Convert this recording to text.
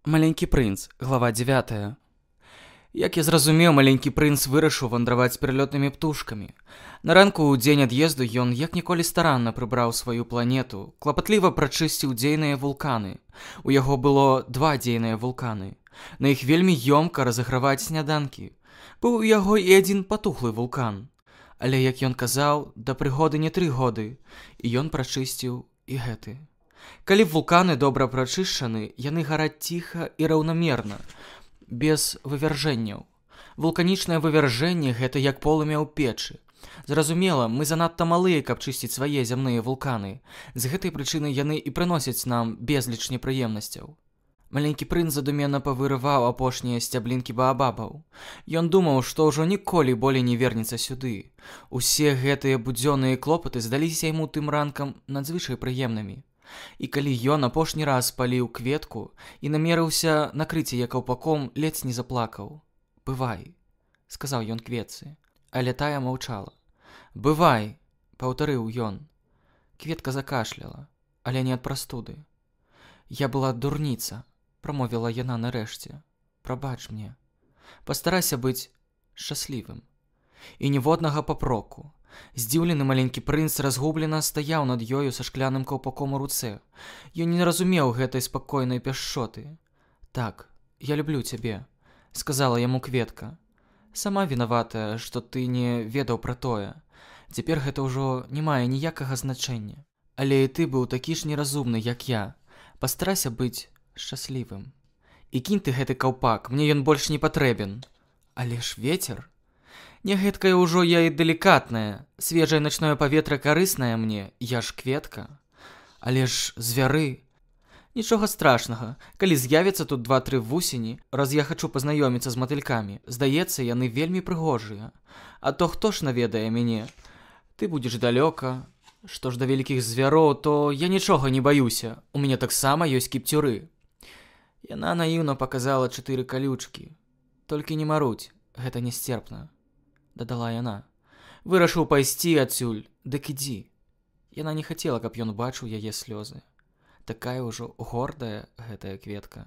Маленькі прынц, глава 9. Як я зразумеў, маленькі прынц вырашыў вандраваць з пералётнымі птушкамі. На ранку ў дзень ад'езду ён як ніколі старанна прыбраў сваю планету, клапатліва прачысціў дзейныя вулканы. У яго было 2 дзейныя вулканы. На іх вельмі ёмка разаграваць сняданкі. Быў у яго і адзін патухлы вулкан. Але, як ён казаў, да прыгоды не 3 годы, і ён прачысціў і гэты. Калі вулканы добра прачышчаны, яны гараць ціха і раўнамерна, без вывяржэнняў. Вулканічнае вывяржэнне – гэта як полымя ў печы. Зразумела, мы занадта малыя, каб чысціць свае зямныя вулканы. З гэтай прычыны яны і прыносяць нам безліч непрыемнасцяў. Маленькі прынц задуменна павырываў апошнія сцяблінкі баабабаў. Ён думаў, што ўжо ніколі болей не вернецца сюды. Усе гэтыя будзённыя клопаты здаліся яму тым ранкам надзвычай прыемнымі. І калі ён апошні раз паліў кветку і намерыўся накрыць яе каўпаком, ледзь не заплакаў. «Бывай», – сказаў ён кветцы, але тая маўчала. «Бывай», – паўтарыў ён. Кветка закашляла, але не ад прастуды. «Я была дурніца», – прамовіла яна нарэшце. «Прабач мне. Пастарайся быць шчаслівым». І ніводнага папроку. Здзіўлены маленькі прынц разгублена стаяў над ёю са шкляным каўпаком у руцэ. Ён не разумеў гэтай спакойнай пяшчоты. «Так, я люблю цябе», – сказала яму кветка. «Сама вінаватая, што ты не ведаў пра тое. Цяпер гэта ўжо не мае ніякага значэння. Але і ты быў такі ж неразумны, як я. Пастарайся быць шчаслівым. І кінь ты гэты каўпак, мне ён больш не патрэбен». «Але ж вецер». «Не гэткае ўжо я і далікатнае. Свежае начное паветра карыснае мне, я ж кветка. Але ж звяры. Нічога страшнага, калі з'явіцца тут 2-3 вусені, раз я хачу пазнаёміцца з матылькамі. Здаецца, яны вельмі прыгожыя. А то хто ж наведае мяне? Ты будзеш далёка. Што ж да вялікіх звяроў, то я нічога не баюся. У мяне таксама ёсць кіпцюры». Яна наіўна паказала 4 калючкі. «Толькі не марудзь, гэта несцерпна», – дадала яна. «Вырашыў пайсці адсюль, дык ідзі». Яна не хацела, каб ён бачыў яе слёзы. Такая ўжо гордая гэтая кветка.